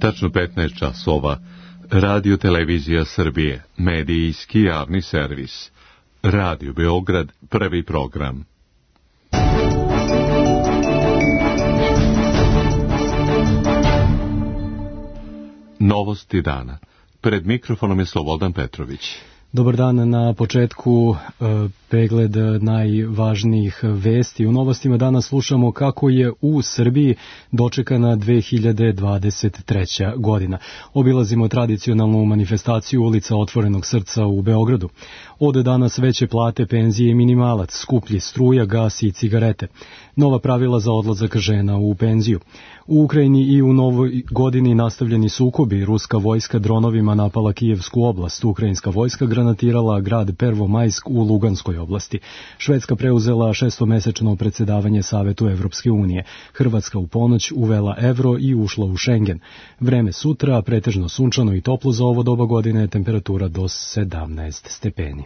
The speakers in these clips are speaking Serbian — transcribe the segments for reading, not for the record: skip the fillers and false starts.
Tačno 15 časova. Radio Televizija Srbije, medijski javni servis. Radio Beograd, prvi program. Novosti dana. Pred mikrofonom je Slobodan Petrović. Dobar dan, na početku pregled najvažnijih vesti. U novostima danas slušamo kako je u Srbiji dočekana 2023. godina. Obilazimo tradicionalnu manifestaciju ulica Otvorenog srca u Beogradu. Od danas veće plate, penzije i minimalac, skuplji struja, gas i cigarete. Nova pravila za odlazak žena u penziju. U Ukrajini i u novoj godini nastavljeni sukobi. Ruska vojska dronovima napala Kijevsku oblast. Ukrajinska vojska granatirala grad Prvomajsk u Luganskoj oblasti. Švedska preuzela 6-mesečno predsjedavanje Savetu Evropske unije. Hrvatska u ponoć uvela evro i ušla u Šengen. Vreme sutra, pretežno sunčano i toplo za ovo doba godine, temperatura do 17 stepeni.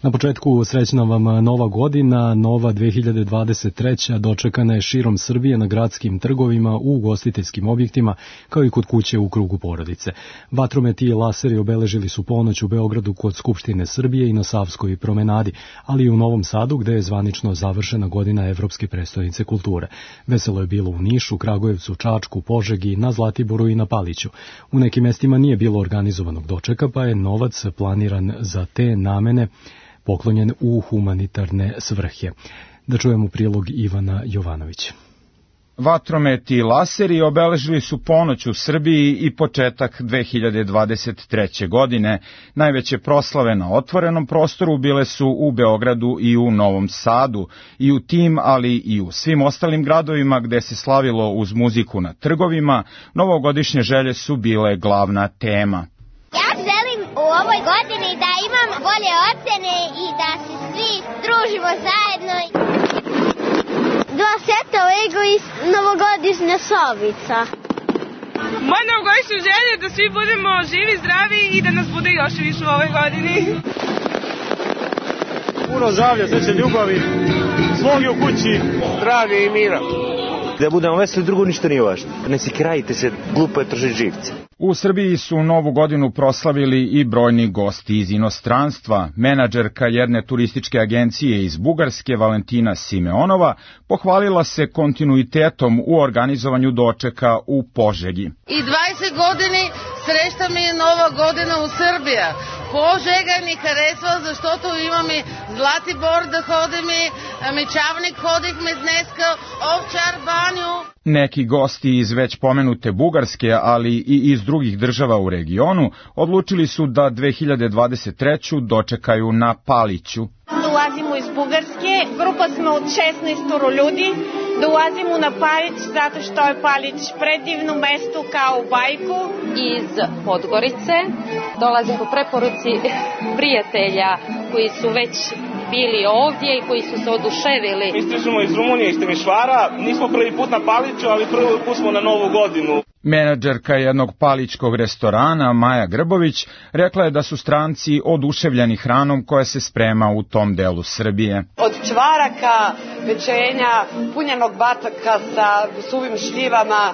Na početku srećna vam nova godina, nova 2023. dočekana je širom Srbije na gradskim trgovima, u ugostiteljskim objektima, kao i kod kuće u krugu porodice. Vatrometi i laseri obeležili su ponoć u Beogradu kod Skupštine Srbije i na Savskoj promenadi, ali i u Novom Sadu gde je zvanično završena godina Evropske prestonice kulture. Veselo je bilo u Nišu, Kragujevcu, Čačku, Požegi, na Zlatiboru i na Paliću. U nekim mestima nije bilo organizovanog dočeka, pa je novac planiran za te namene poklonjen u humanitarne svrhe. Da čujemo prilog Ivana Jovanovića. Vatrometi i laseri obeležili su ponoć u Srbiji i početak 2023. godine. Najveće proslave na otvorenom prostoru bile su u Beogradu i u Novom Sadu. I u tim, ali i u svim ostalim gradovima gde se slavilo uz muziku na trgovima, novogodišnje želje su bile glavna tema. Ja želim u ovoj godini da imam bolje ocene i da se svi družimo zajedno. 2 seta Lego i novogodišnja sobica. Moja novogodišnja želja je da svi budemo živi, zdravi i da nas bude još više u ovoj godini. Puno zdravlja, sreće, ljubavi, sloge u kući, zdravlja i mira. Da budemo veseli, drugo ništa nije važno. Ne si krajite se, glupo je tržiti živce. U Srbiji su novu godinu proslavili i brojni gosti iz inostranstva. Menadžerka jedne turističke agencije iz Bugarske, Valentina Simeonova, pohvalila se kontinuitetom u organizovanju dočeka u Požegi. I 20 godini srećta mi je nova godina u Srbiji. Požega mi харесва, защото имаме Златибор да ходим, Мечавник ходихме днеска, Овчар баню. Neki gosti iz već pomenute Bugarske, ali i iz drugih država u regionu, odlučili su da 2023. dočekaju na Paliću. Dolazimo iz Bugarske, grupa smo od 16 ljudi, dolazimo na Palić zato što je Palić predivno mesto kao u bajku. Iz Podgorice dolazim po preporuci prijatelja koji su već bili ovdje i koji su se oduševili. Mi stižemo iz Rumunije, iz Temišvara, nismo prvi put na Paliću, ali prvi put smo na Novu godinu. Menadžerka jednog palićkog restorana, Maja Grbović, rekla je da su stranci oduševljeni hranom koja se sprema u tom delu Srbije. Od čvaraka, pečenja, punjenog bataka sa suvim šljivama,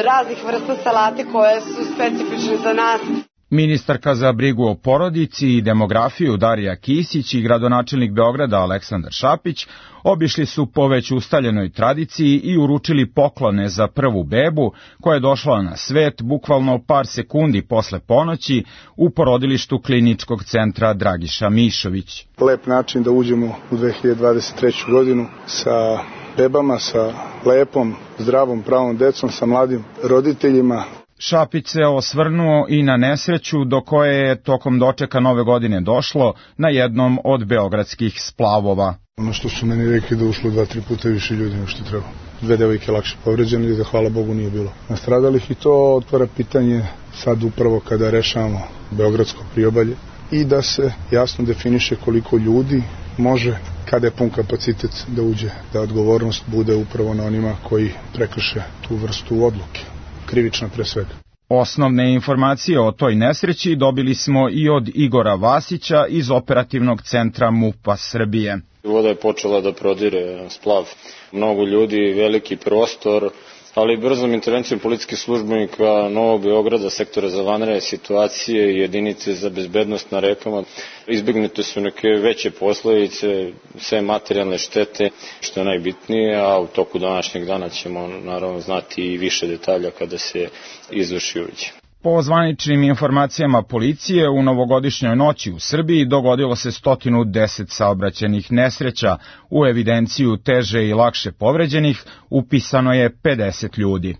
raznih vrsta salate koje su specifične za nas. Ministarka za brigu o porodici i demografiju Darija Kisić i gradonačelnik Beograda Aleksandar Šapić obišli su po već ustaljenoj tradiciji i uručili poklone za prvu bebu koja je došla na svet bukvalno par sekundi posle ponoći u porodilištu Kliničkog centra Dragiša Mišović. Lep način da uđemo u 2023. godinu sa bebama, sa lepom, zdravom, pravom decom, sa mladim roditeljima. Šapić se osvrnuo i na nesreću do koje je tokom dočeka nove godine došlo na jednom od beogradskih splavova. Ono što su meni rekli da ušlo 2-3 puta više ljudi nego što treba. 2 devojke lakše povređene i da hvala Bogu nije bilo nastradalih i to otvara pitanje sad upravo kada rešavamo beogradsko priobalje i da se jasno definiše koliko ljudi može, kada je pun kapacitet da uđe, da odgovornost bude upravo na onima koji prekrše tu vrstu odluke. Krivična pre svega. Osnovne informacije o toj nesreći dobili smo i od Igora Vasića iz operativnog centra MUP-a Srbije. Voda je počela da prodire splav. Mnogo ljudi, veliki prostor, ali brzom intervencijom policijskih službenika Novog Beograda, sektora za vanredne situacije i jedinice za bezbednost na rekama, izbegnute su neke veće posledice, sve materijalne štete, što je najbitnije, a u toku današnjeg dana ćemo naravno znati i više detalja kada se izvrši uviđaj. Po zvaničnim informacijama policije, u novogodišnjoj noći u Srbiji dogodilo se 110 saobraćajnih nesreća, u evidenciju teže i lakše povređenih upisano je 50 ljudi.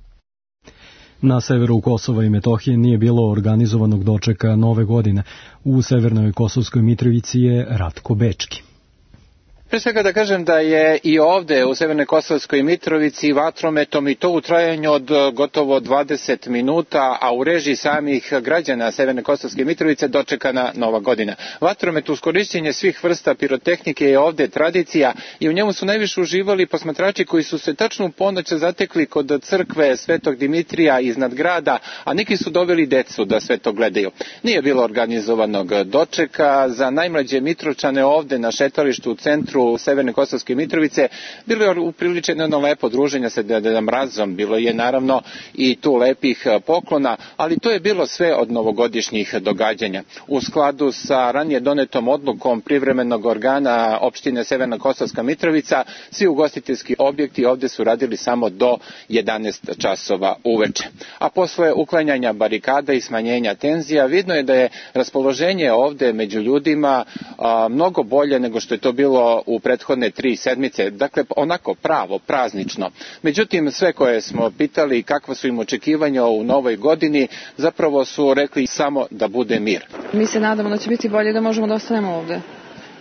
Na severu Kosova i Metohije nije bilo organizovanog dočeka Nove godine. U severnoj Kosovskoj Mitrovici je Ratko Bečki. Pre svega da kažem da je i ovde u Severnoj Kosovskoj Mitrovici vatrometom i to u trajanju od gotovo 20 minuta, a u režiji samih građana Severne Kosovske Mitrovice dočekana Nova godina. Vatromet uz korišćenje svih vrsta pirotehnike je ovde tradicija i u njemu su najviše uživali posmatrači koji su se tačno u ponoć zatekli kod crkve Svetog Dimitrija iznad grada, a neki su doveli decu da sve to gledaju. Nije bilo organizovanog dočeka, za najmlađe Mitrovčane ovde na šetalištu u centru Severne Kosovske Mitrovice bilo je upriličeno jedno lepo druženje sa Dedom Mrazom, bilo je naravno i tu lepih poklona, ali to je bilo sve od novogodišnjih događanja. U skladu sa ranije donetom odlukom privremenog organa opštine Severna Kosovska Mitrovica, svi ugostiteljski objekti ovde su radili samo do 11 časova uveče. A posle uklanjanja barikada i smanjenja tenzija, vidno je da je raspoloženje ovde među ljudima mnogo bolje nego što je to bilo u prethodne 3 sedmice, dakle onako pravo, praznično. Međutim, sve koje smo pitali kakva su im očekivanja u novoj godini, zapravo su rekli samo da bude mir. Mi se nadamo da će biti bolje da možemo da ostanemo ovde,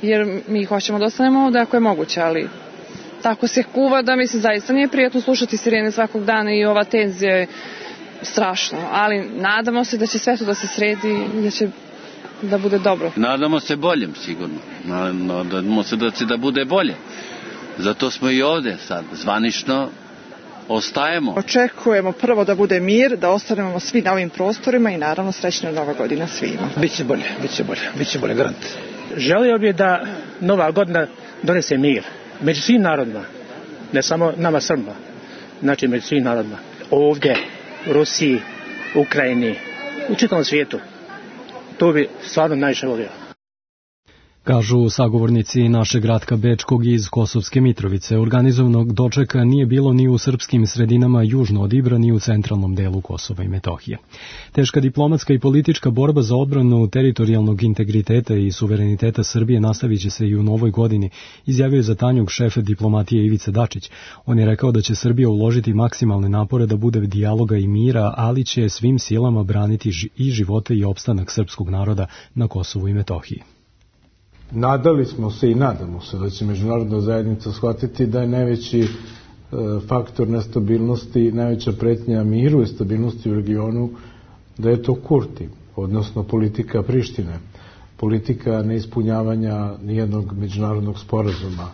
jer mi hoćemo da ostanemo ovde ako je moguće, ali tako se kuva da mi se zaista nije prijatno slušati sirene svakog dana i ova tenzija je strašno, ali nadamo se da će sve to da se sredi i da će da bude dobro. Nadamo se boljem sigurno. Nadamo se da će da bude bolje. Zato smo i ovde sad zvanično ostajemo. Očekujemo prvo da bude mir, da ostanemo svi na ovim prostorima i naravno srećna Nova godina svima. Biće bolje, garant. Želio bih da Nova godina donese mir među svim narodima, ne samo nama Srba, znači među svim narodima. Ovdje, u Rusiji, Ukrajini, u čitavom svijetu. To bi stvarno najviše volio. Kažu sagovornici našeg Ratka Bečkog iz Kosovske Mitrovice. Organizovanog dočeka nije bilo ni u srpskim sredinama južno od Ibra, ni u centralnom delu Kosova i Metohije. Teška diplomatska i politička borba za odbranu teritorijalnog integriteta i suvereniteta Srbije nastavit će se i u novoj godini, izjavio je za Tanjug šef diplomatije Ivica Dačić. On je rekao da će Srbija uložiti maksimalne napore da bude dijaloga i mira, ali će svim silama braniti i živote i opstanak srpskog naroda na Kosovu i Metohiji. Nadali smo se i nadamo se da će međunarodna zajednica shvatiti da je najveći faktor nestabilnosti, najveća pretnja miru i stabilnosti u regionu, da je to Kurti, odnosno politika Prištine, politika neispunjavanja nijednog međunarodnog sporazuma,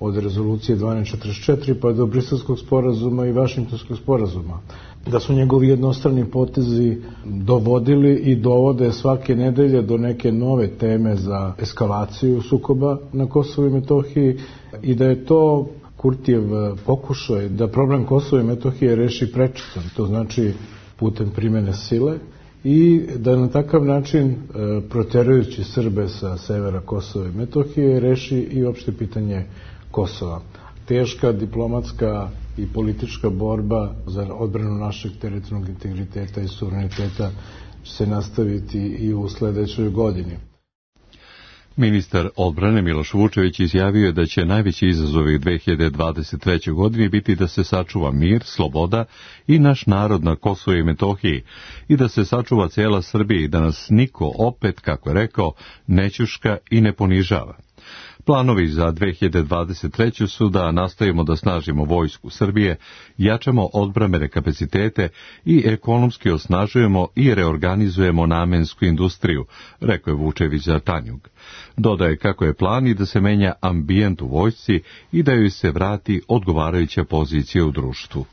od rezolucije 1244 pa do Briselskog sporazuma i Vašingtonskog sporazuma. Da su njegovi jednostrani potezi dovodili i dovode svake nedelje do neke nove teme za eskalaciju sukoba na Kosovu i Metohiji i da je to Kurtijev pokušaj da problem Kosova i Metohije reši prečicom, to znači putem primene sile, i da na takav način, proterajući Srbe sa severa Kosova i Metohije, reši i opšte pitanje Kosova. Teška diplomatska i politička borba za odbranu našeg teritorijalnog integriteta i suvereniteta će se nastaviti i u sledećoj godini. Ministar odbrane Miloš Vučević izjavio je da će najveći izazovi 2023. godini biti da se sačuva mir, sloboda i naš narod na Kosovu i Metohiji i da se sačuva cijela Srbija i da nas niko opet, kako je rekao, ne ćuška i ne ponižava. Planovi za 2023. su da nastavimo da snažimo vojsku Srbije, jačamo odbrambene kapacitete i ekonomski osnažujemo i reorganizujemo namensku industriju, rekao je Vučević za Tanjug. Dodaje kako je plan i da se menja ambijent u vojsci i da joj se vrati odgovarajuća pozicija u društvu.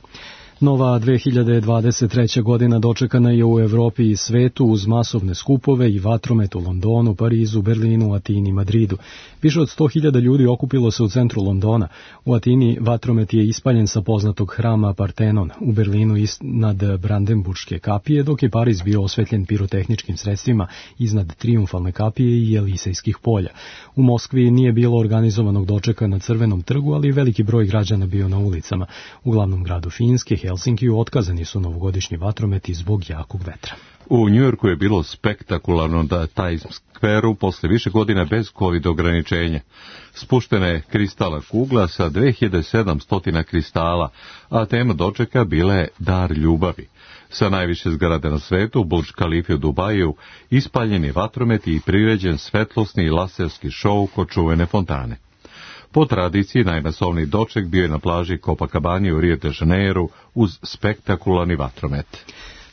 Nova 2023. godina dočekana je u Evropi i svetu uz masovne skupove i vatromet u Londonu, Parizu, Berlinu, Atini i Madridu. Više od 100.000 ljudi okupilo se u centru Londona. U Atini vatromet je ispaljen sa poznatog hrama Partenon, u Berlinu iznad Brandenburške kapije, dok je Pariz bio osvetljen pirotehničkim sredstvima iznad Trijumfalne kapije i Elisejskih polja. U Moskvi nije bilo organizovanog dočeka na Crvenom trgu, ali veliki broj građana bio na ulicama. U glavnom gradu Finske, Helsinkiju, otkazani su novogodišnji vatrometi zbog jakog vetra. U Njujorku je bilo spektakularno da Times Square-u posle više godina bez COVID ograničenja. Spuštena je kristalna kugla sa 2700 kristala, a tema dočeka bila je dar ljubavi. Sa najviše zgrade na svetu, Burj Khalifa u Dubaju, ispaljen je vatromet i priređen svetlosni i laserski šou kod čuvene fontane. Po tradiciji, najmasovniji doček bio je na plaži Copacabana u Rio de Janeiru uz spektakularni vatromet.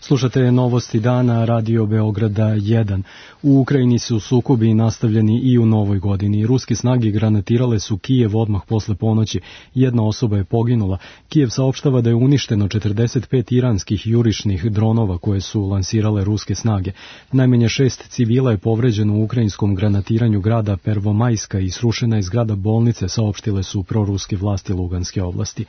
Slušate novosti dana Radio Beograda 1. U Ukrajini su sukobi nastavljeni i u novoj godini. Ruske snage granatirale su Kijev odmah posle ponoći. Jedna osoba je poginula. Kijev saopštava da je uništeno 45 iranskih jurišnih dronova koje su lansirale ruske snage. Najmanje 6 civila je povređeno u ukrajinskom granatiranju grada Pervomajska i srušena je zgrada bolnice, saopštile su proruske vlasti Luganske oblasti.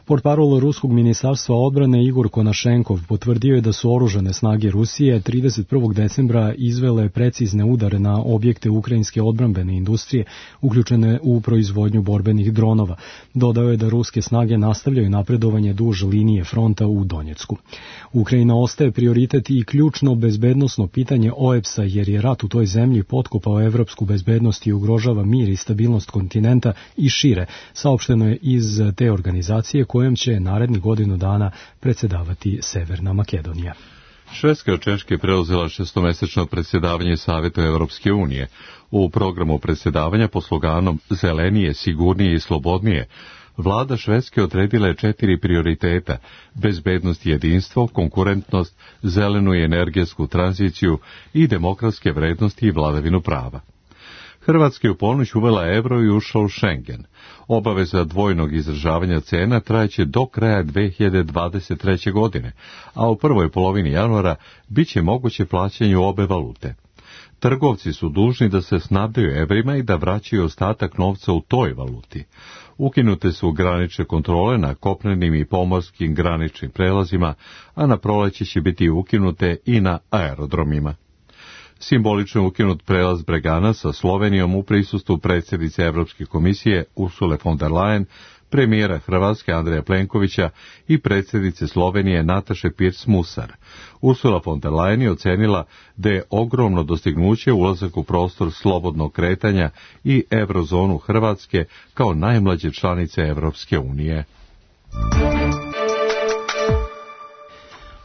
Portparol ruskog ministarstva odbrane Igor Konašenkov potvrdio je da su oružane snage Rusije 31. decembra izvele precizne udare na objekte ukrajinske odbrambene industrije uključene u proizvodnju borbenih dronova. Dodao je da ruske snage nastavljaju napredovanje duž linije fronta u Donjecku. Ukrajina ostaje prioritet i ključno bezbednosno pitanje OEBS-a jer je rat u toj zemlji potkopao evropsku bezbednost i ugrožava mir i stabilnost kontinenta i šire, saopšteno je iz te organizacije kojem će narednih godinu dana predsjedavati Severna Makedonija. Švedska od Češke preuzela šestomesečno predsjedavanje Savetu Evropske unije. U programu predsjedavanja pod sloganom Zelenije, sigurnije i slobodnije, vlada Švedske odredila je 4 prioriteta: bezbednost i jedinstvo, konkurentnost, zelenu i energetsku tranziciju i demokratske vrednosti i vladavinu prava. Hrvatska je u ponoć uvela evro i ušla u Schengen. Obaveza dvojnog izražavanja cena trajeće do kraja 2023. godine, a u prvoj polovini januara bit će moguće plaćanje u obe valute. Trgovci su dužni da se snabdeju evrima i da vraćaju ostatak novca u toj valuti. Ukinute su granične kontrole na kopnenim i pomorskim graničnim prelazima, a na proleće će biti ukinute i na aerodromima. Simbolično je ukinut prelaz Bregana sa Slovenijom u prisustvu predsjednice Evropske komisije Ursule von der Leyen, premijera Hrvatske Andreja Plenkovića i predsjednice Slovenije Nataše Pirc-Musar. Ursula von der Leyen je ocenila da je ogromno dostignuće ulazak u prostor slobodnog kretanja i eurozonu Hrvatske kao najmlađe članice Evropske unije.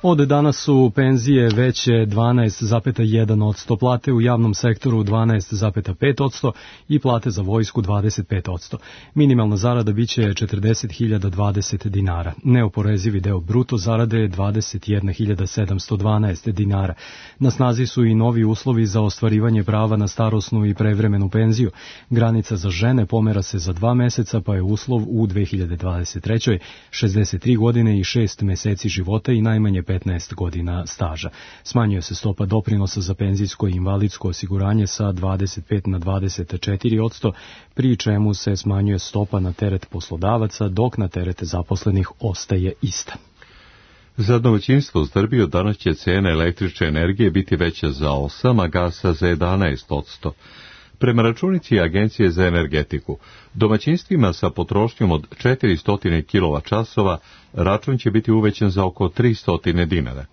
Od danas su penzije veće 12,1%, plate u javnom sektoru 12,5% i plate za vojsku 25%. Minimalna zarada biće 40.020 dinara. Neoporezivi deo bruto zarade je 21.712 dinara. Na snazi su i novi uslovi za ostvarivanje prava na starosnu i prevremenu penziju. Granica za žene pomera se za 2 meseca, pa je uslov u 2023. 63 godine i 6 meseci života i najmanje 15 godina staža. Smanjuje se stopa doprinosa za penzijsko i invalidsko osiguranje sa 25 na 24%, pri čemu se smanjuje stopa na teret poslodavaca, dok na teret zaposlenih ostaje ista. Za domaćinstvo u Srbiji od danas će cena električne energije biti veća za 8, a gasa za 11%. Prema računici Agencije za energetiku, domaćinstvima sa potrošnjom od 400 kWh račun će biti uvećan za oko 300 dinara.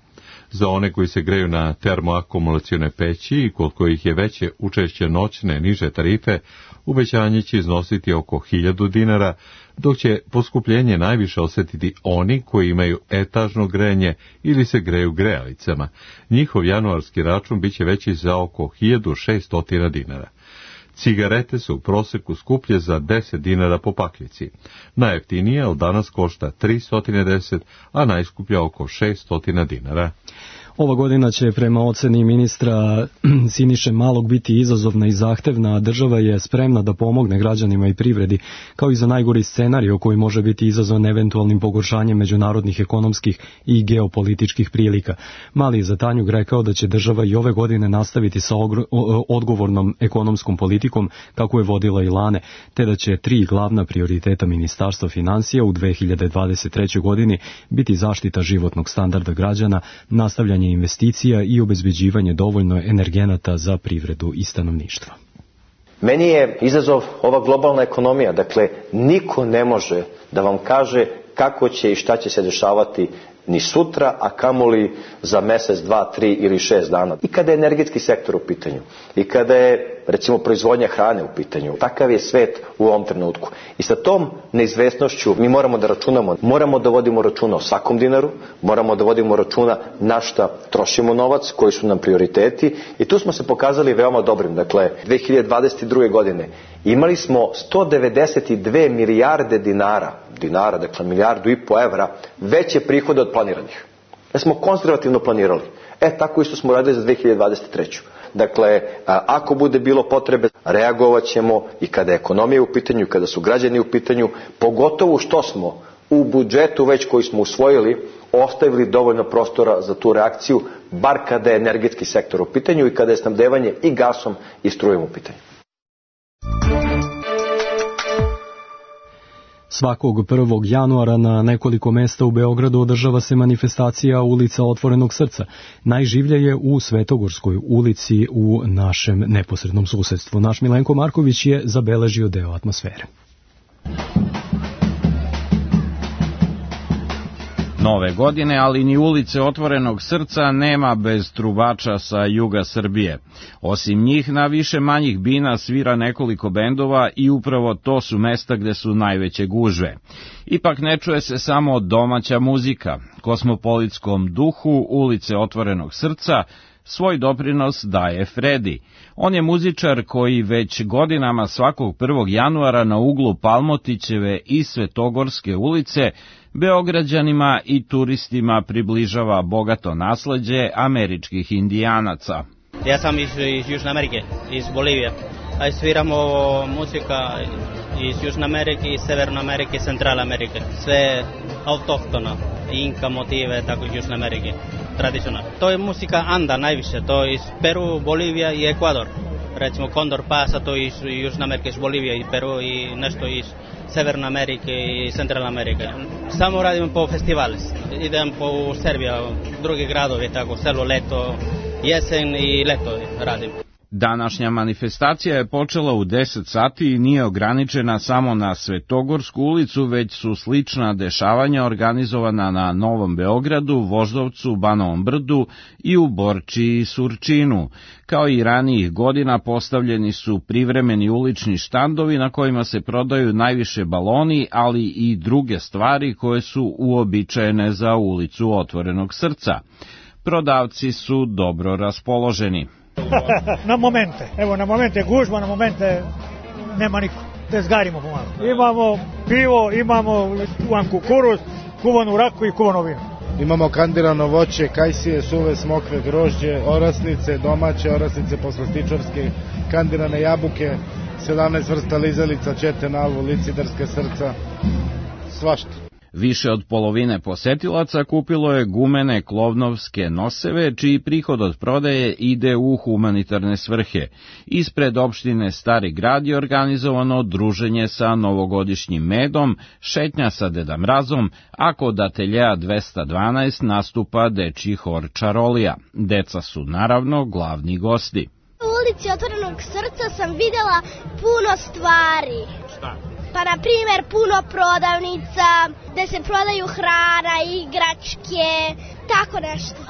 Za one koji se greju na termoakumulacione peći i kod kojih je veće učešće noćne niže tarife, uvećanje će iznositi oko 1000 dinara, dok će poskupljenje najviše osjetiti oni koji imaju etažno grejanje ili se greju grejalicama. Njihov januarski račun biće veći za oko 1600 dinara. Cigarete su u proseku skuplje za 10 dinara po paklici. Najjeftinija od danas košta 310, a najskuplja oko 600 dinara. Ova godina će prema oceni ministra Siniše Malog biti izazovna i zahtevna, a država je spremna da pomogne građanima i privredi, kao i za najgori scenario koji može biti izazvan eventualnim pogoršanjem međunarodnih ekonomskih i geopolitičkih prilika. Mali je za Tanjug rekao da će država i ove godine nastaviti sa odgovornom ekonomskom politikom kako je vodila i lane, te da će 3 glavna prioriteta Ministarstva financija u 2023. godini biti zaštita životnog standarda građana, nastavljanje investicija i obezbeđivanje dovoljno energenata za privredu i stanovništvo. Meni je izazov ova globalna ekonomija, dakle niko ne može da vam kaže kako će i šta će se dešavati ni sutra, a kamoli za mesec, 2, 3 ili 6 dana. I kada je energetski sektor u pitanju, i kada je recimo proizvodnja hrane u pitanju, takav je svet u ovom trenutku. I sa tom neizvesnošću mi moramo da računamo, moramo da vodimo računa o svakom dinaru, moramo da vodimo računa na šta trošimo novac, koji su nam prioriteti i tu smo se pokazali veoma dobrim. Dakle, 2022. godine imali smo 192 milijarde dinara, dakle 1,5 milijardu evra, veće prihode od planiranih. Da smo konzervativno planirali. Tako isto smo radili za 2023. Dakle, ako bude bilo potrebe, reagovat ćemo i kada je ekonomija u pitanju, i kada su građani u pitanju, pogotovo što smo u budžetu već koji smo usvojili, ostavili dovoljno prostora za tu reakciju, bar kada je energetski sektor u pitanju i kada je snabdevanje i gasom i strujom u pitanju. Svakog 1. januara na nekoliko mesta u Beogradu održava se manifestacija Ulica otvorenog srca. Najživlje je u Svetogorskoj ulici u našem neposrednom susedstvu. Naš Milenko Marković je zabeležio deo atmosfere. Nove godine, ali ni Ulice otvorenog srca nema bez trubača sa juga Srbije. Osim njih, na više manjih bina svira nekoliko bendova i upravo to su mesta gde su najveće gužve. Ipak ne čuje se samo domaća muzika. Kosmopolitskom duhu Ulice otvorenog srca svoj doprinos daje Fredi. On je muzičar koji već godinama svakog 1. januara na uglu Palmotićeve i Svetogorske ulice Beograđanima i turistima približava bogato nasleđe američkih indijanaca. Ja sam iz Južne Amerike, iz Bolivije. Sviramo muzika iz Južne Amerike, iz Severne Amerike, Centralne Amerike. Sve autohtono, inka motive, tako iz Južne Amerike, tradicionalno. To je muzika Anda najviše, to je iz Peru, Bolivija i Ekvador. Recimo Condor Pasa, to je iz Južne Amerike, iz Bolivije i Peru i nešto iz Severne Amerike i Centralne Amerike. Samo radimo po festivali, idem po Srbiju, drugi gradovi, tako selo, leto, jesen i leto radim. Današnja manifestacija je počela u 10 sati i nije ograničena samo na Svetogorsku ulicu, već su slična dešavanja organizovana na Novom Beogradu, Voždovcu, Banovom Brdu i u Borči i Surčinu. Kao i ranijih godina postavljeni su privremeni ulični štandovi na kojima se prodaju najviše baloni, ali i druge stvari koje su uobičajene za Ulicu otvorenog srca. Prodavci su dobro raspoloženi. Na momente, evo na momente gužba, na momente nema niko, tezgarimo pomalo. Imamo pivo, imamo kukuruz, kuvanu raku i kuvano vino. Imamo kandirano voće, kajsije, suve smokve, grožđe, orasnice, domaće orasnice, poslastičarske, kandirane jabuke, 17 vrsta lizalica, čete, nalvu, licidarske srca, svašta. Više od polovine posetilaca kupilo je gumene klovnovske noseve, čiji prihod od prodaje ide u humanitarne svrhe. Ispred opštine Stari grad je organizovano druženje sa novogodišnjim medom, šetnja sa Deda Mrazom, a kod ateljeja 212 nastupa dečji hor Čarolija. Deca su naravno glavni gosti. U Ulici otvorenog srca sam videla puno stvari. Šta? Pa, na primjer, puno prodavnica, gde se prodaju hrana, igračke, tako nešto.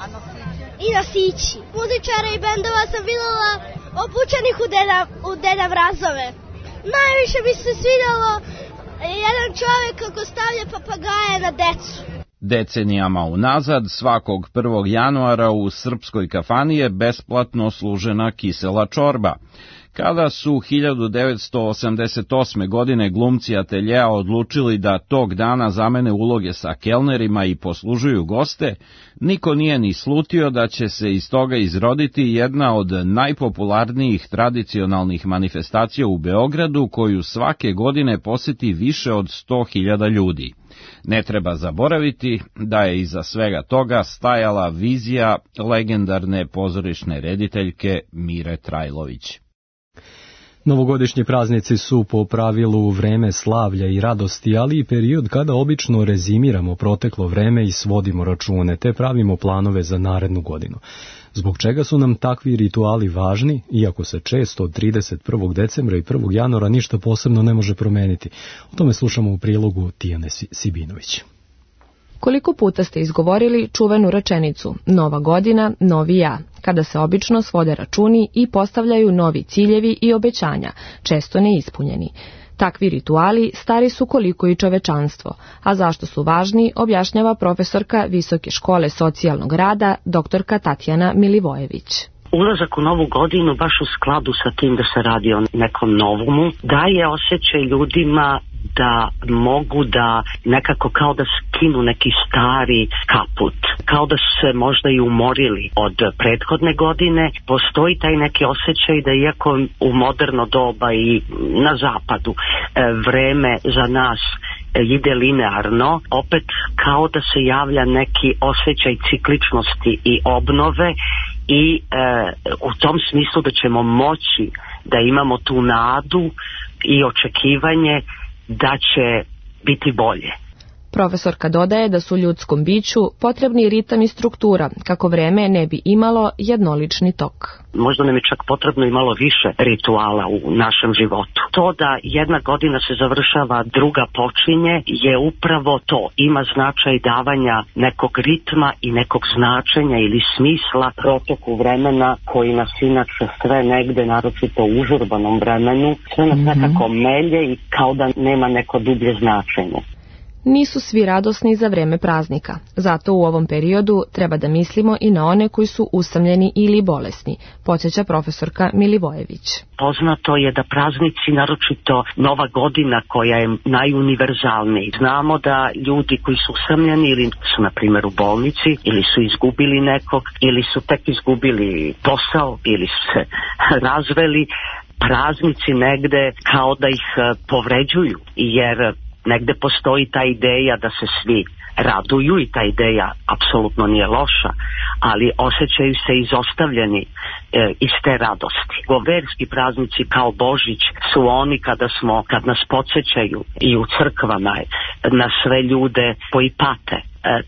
I nosići. Muzičara i bendova sam videla obučenih u Deda Mrazove. Najviše mi se svidjelo jedan čovjek kako stavlja papagaje na decu. Decenijama unazad, svakog 1. januara u srpskoj kafani je besplatno služena kisela čorba. Kada su 1988. godine glumci ateljea odlučili da tog dana zamene uloge sa kelnerima i poslužuju goste, niko nije ni slutio da će se iz toga izroditi jedna od najpopularnijih tradicionalnih manifestacija u Beogradu, koju svake godine poseti više od 100.000 ljudi. Ne treba zaboraviti da je iza svega toga stajala vizija legendarne pozorišne rediteljke Mire Trajlović. Novogodišnji praznici su po pravilu vreme slavlja i radosti, ali i period kada obično rezimiramo proteklo vreme i svodimo račune, te pravimo planove za narednu godinu. Zbog čega su nam takvi rituali važni, iako se često od 31. decembra i 1. januara ništa posebno ne može promeniti? O tome slušamo u prilogu Tijane Sibinović. Koliko puta ste izgovorili čuvenu rečenicu "Nova godina, novi ja", kada se obično svode računi i postavljaju novi ciljevi i obećanja, često neispunjeni. Takvi rituali stari su koliko i čovečanstvo, a zašto su važni objašnjava profesorka Visoke škole socijalnog rada doktorka Tatjana Milivojević. Ulazak u novu godinu baš u skladu sa tim da se radi o nekom novumu daje osjećaj ljudima da mogu da nekako kao da skinu neki stari kaput, kao da su se možda i umorili od prethodne godine. Postoji taj neki osjećaj da iako u moderno doba i na zapadu vreme za nas ide linearno, opet kao da se javlja neki osjećaj cikličnosti i obnove i u tom smislu da ćemo moći da imamo tu nadu i očekivanje da će biti bolje. Profesorka dodaje da su ljudskom biću potrebni ritam i struktura, kako vreme ne bi imalo jednolični tok. Možda nam je čak potrebno i malo više rituala u našem životu. To da jedna godina se završava, druga počinje, je upravo to. Ima značaj davanja nekog ritma i nekog značenja ili smisla protoku vremena koji nas inače sve negde, naročito u užurbanom vremenu, sve nas nekako melje i kao da nema neko dublje značenje. Nisu svi radosni za vreme praznika, zato u ovom periodu treba da mislimo i na one koji su usamljeni ili bolesni, podsjeća profesorka Milivojević. Poznato je da praznici, naročito Nova godina koja je najuniverzalniji. Znamo da ljudi koji su usamljeni ili su na primjer u bolnici ili su izgubili nekog ili su tek izgubili posao ili su se razveli, praznici negde kao da ih povređuju, jer negde postoji ta ideja da se svi raduju i ta ideja apsolutno nije loša, ali osjećaju se izostavljeni iz te radosti. Verski praznici kao Božić su oni kad nas podsjećaju i u crkvama na sve ljude koji pate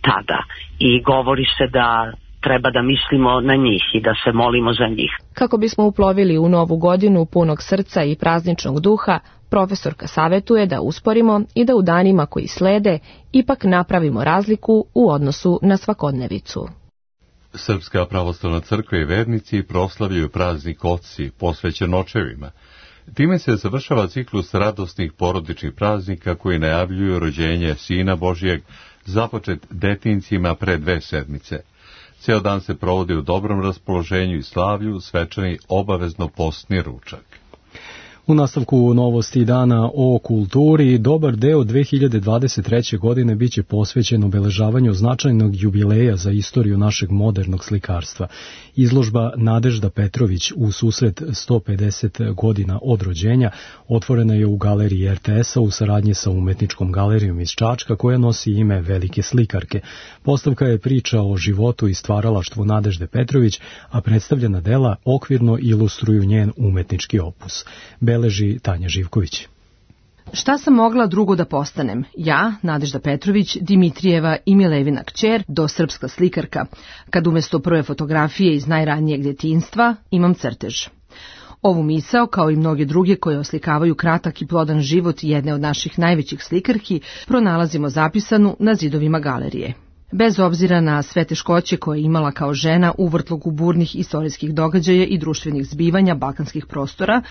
tada i govori se da treba da mislimo na njih i da se molimo za njih. Kako bismo uplovili u novu godinu punog srca i prazničnog duha, profesorka savetuje da usporimo i da u danima koji slede ipak napravimo razliku u odnosu na svakodnevicu. Srpska pravoslavna crkva i vernici proslavljaju praznik Otci, posvećen očevima. Time se završava ciklus radosnih porodičnih praznika koji najavljuju rođenje Sina Božijeg, započet detincima pre 2 sedmice. Ceo dan se provodi u dobrom raspoloženju i slavlju, svečani obavezno postni ručak. U nastavku novosti dana o kulturi, dobar deo 2023. godine biće posvećen obeležavanju značajnog jubileja za istoriju našeg modernog slikarstva. Izložba Nadežda Petrović u susret 150 godina od rođenja otvorena je u galeriji RTS-a u saradnji sa Umetničkom galerijom iz Čačka koja nosi ime velike slikarke. Postavka je priča o životu i stvaralaštvu Nadežde Petrović, a predstavljena dela okvirno ilustruju njen umetnički opus. Beleži Tanja Živković. Šta sam mogla drugo da postanem? Ja, Nadežda Petrović, Dimitrijeva i Milevina kćer, dosrpska slikarka, kad umjesto prve fotografije iz najranijeg djetinjstva imam crtež. Ovu misao, kao i mnoge druge koje oslikavaju kratak i plodan život jedne od naših najvećih slikarki, pronalazimo zapisanu na zidovima galerije. Bez obzira na sve teškoće koje je imala kao žena u vrtlogu burnih istorijskih događaja i društvenih zbivanja balkanskih prostora,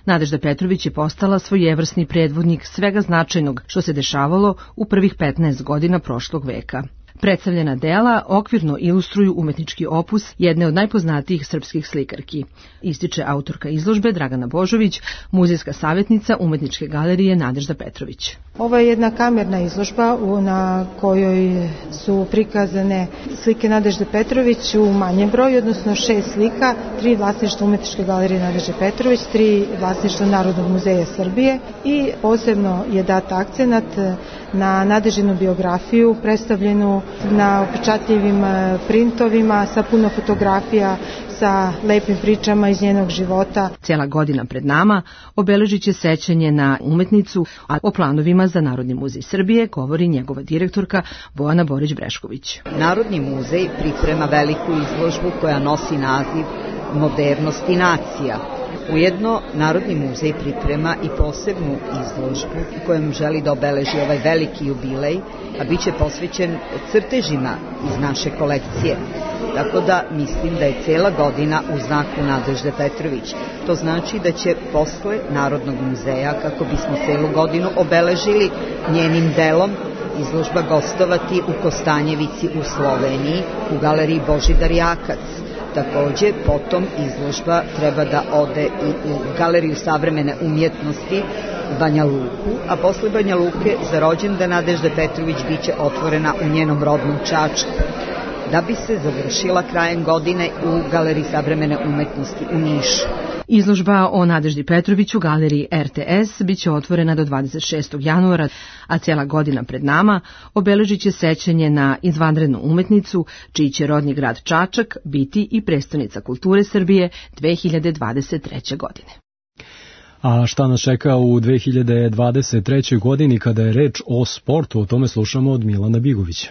Nadežda Petrović je postala svojevrsni predvodnik svega značajnog što se dešavalo u prvih 15 godina prošlog veka. Predstavljena dela okvirno ilustruju umetnički opus jedne od najpoznatijih srpskih slikarki, ističe autorka izložbe Dragana Božović, muzejska savjetnica Umetničke galerije Nadežda Petrović. Ovo je jedna kamerna izložba na kojoj su prikazane slike Nadežde Petrović u manjem broju, odnosno 6 slika, 3 vlasništva Umetničke galerije Nadežde Petrović, 3 vlasništva Narodnog muzeja Srbije i posebno je dat akcenat na Nadeždinu biografiju predstavljenu na upečatljivim printovima sa puno fotografija, sa lepim pričama iz njenog života. Cijela godina pred nama obeležit će sećanje na umetnicu, a o planovima za Narodni muzej Srbije govori njegova direktorka Bojana Borić-Brešković. Narodni muzej priprema veliku izložbu koja nosi naziv Modernost i nacija. Ujedno, Narodni muzej priprema i posebnu izložbu kojom želi da obeleži ovaj veliki jubilej, a bit će posvećen crtežima iz naše kolekcije. Tako da mislim da je cijela godina u znaku Nadežde Petrović. To znači da će posle Narodnog muzeja, kako bismo cijelu godinu obeležili njenim delom, izložba gostovati u Kostanjevici u Sloveniji, u galeriji Božidar Jakac. Takođe, potom izložba treba da ode i u Galeriju savremene umjetnosti u Banja Luku, a posle Banja Luke za rođendan Nadežde Petrović biće otvorena u njenom rodnom Čačku, da bi se završila krajem godine u Galeriji savremene umjetnosti u Nišu. Izložba o Nadeždi Petrović u galeriji RTS biće otvorena do 26. januara, a cijela godina pred nama obeležit će sećanje na izvanrednu umetnicu, čiji će rodni grad Čačak biti i prestonica kulture Srbije 2023. godine. A šta nas čeka u 2023. godini kada je reč o sportu, o tome slušamo od Milana Bigovića.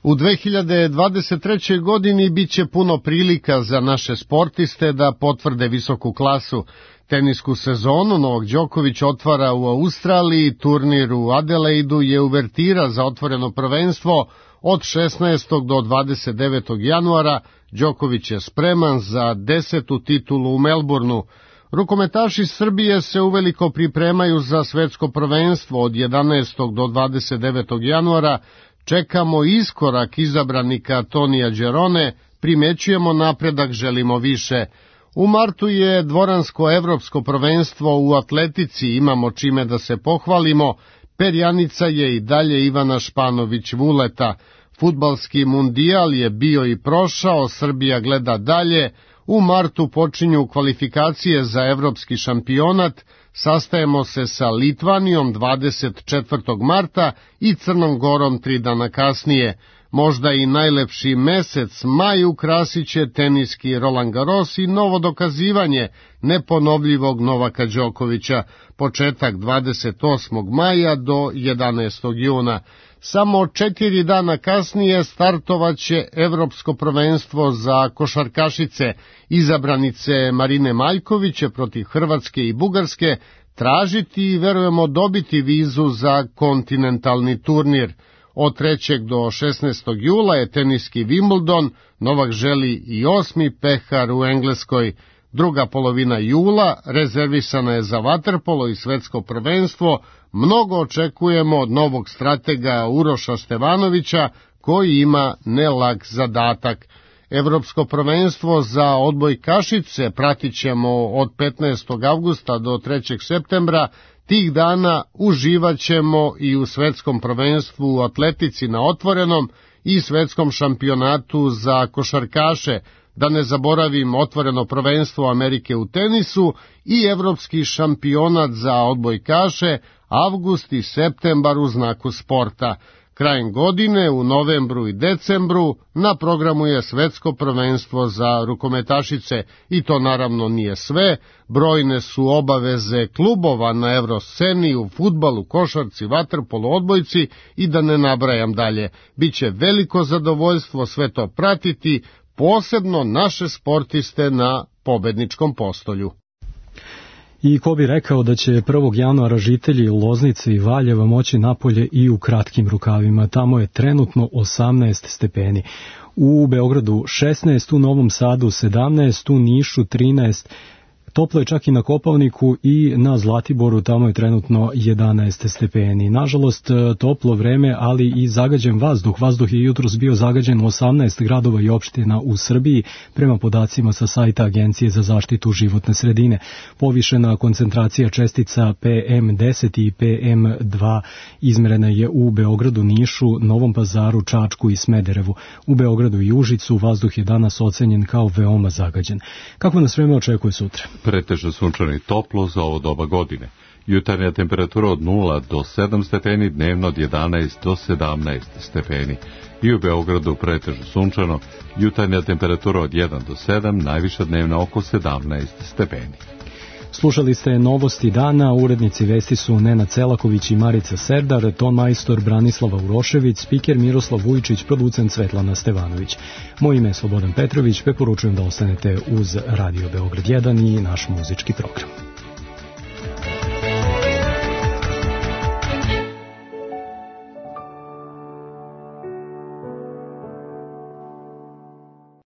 U 2023. godini bit će puno prilika za naše sportiste da potvrde visoku klasu. Tenisku sezonu Novak Đoković otvara u Australiji, turnir u Adelaidu je uvertira za otvoreno prvenstvo od 16. do 29. januara. Đoković je spreman za 10. titulu u Melbourneu. Rukometaši Srbije se uveliko pripremaju za svetsko prvenstvo od 11. do 29. januara. Čekamo iskorak izabranika Tonija Đerone, primećujemo napredak, želimo više. U martu je dvoransko evropsko prvenstvo u atletici, imamo čime da se pohvalimo, perjanica je i dalje Ivana Španović-Vuleta. Fudbalski mundijal je bio i prošao, Srbija gleda dalje. U martu počinju kvalifikacije za evropski šampionat, sastajemo se sa Litvanijom 24. marta i Crnom Gorom 3 dana kasnije. Možda i najlepši mesec maj ukrasit će teniski Roland Garros i novo dokazivanje neponovljivog Novaka Đokovića, početak 28. maja do 11. juna. Samo 4 dana kasnije startovaće evropsko prvenstvo za košarkašice. Izabranice Marine Maljković će protiv Hrvatske i Bugarske tražiti i verujemo dobiti vizu za kontinentalni turnir. Od 3. do 16. jula je teniski Wimbledon, Novak želi i 8. pehar u Engleskoj. Druga polovina jula rezervisana je za vaterpolo i svetsko prvenstvo. Mnogo očekujemo od novog stratega Uroša Stevanovića, koji ima nelag zadatak. Evropsko prvenstvo za odbojkašice pratit ćemo od 15. avgusta do 3. septembra. Tih dana uživat ćemo i u svetskom prvenstvu u atletici na otvorenom i svetskom šampionatu za košarkaše. Da ne zaboravim otvoreno prvenstvo Amerike u tenisu i evropski šampionat za odbojkaše, avgust i septembar u znaku sporta. Krajem godine, u novembru i decembru, na programu je svetsko prvenstvo za rukometašice i to naravno nije sve. Brojne su obaveze klubova na evrosceni, u fudbalu, košarci, vaterpolu, odbojci i da ne nabrajam dalje. Biće veliko zadovoljstvo sve to pratiti, posebno naše sportiste na pobedničkom postolju. I ko bi rekao da će 1. januara žitelji Loznice i Valjeva moći napolje i u kratkim rukavima. Tamo je trenutno 18 stepeni. U Beogradu 16, u Novom Sadu 17, u Nišu 13, Toplo je čak i na Kopaoniku i na Zlatiboru, tamo je trenutno 11 stepeni. Nažalost, toplo vreme, ali i zagađen vazduh. Vazduh je jutros bio zagađen u 18 gradova i opština u Srbiji, prema podacima sa sajta Agencije za zaštitu životne sredine. Povišena koncentracija čestica PM10 i PM2 izmerena je u Beogradu, Nišu, Novom Pazaru, Čačku i Smederevu. U Beogradu i Užicu vazduh je danas ocenjen kao veoma zagađen. Kako nas vreme očekuje sutra? Pretežno sunčano i toplo za ovo doba godine. Jutarnja temperatura od 0 do 7 stepeni, dnevno od 11 do 17 stepeni. I u Beogradu pretežno sunčano, jutarnja temperatura od 1 do 7, najviša dnevna oko 17 stepeni. Slušali ste novosti dana, urednici vesti su Nena Celaković i Marica Serdar, ton majstor Branislava Urošević, spiker Miroslav Vujčić, producent Svetlana Stevanović. Moje ime je Slobodan Petrović, preporučujem da ostanete uz Radio Beograd 1 i naš muzički program.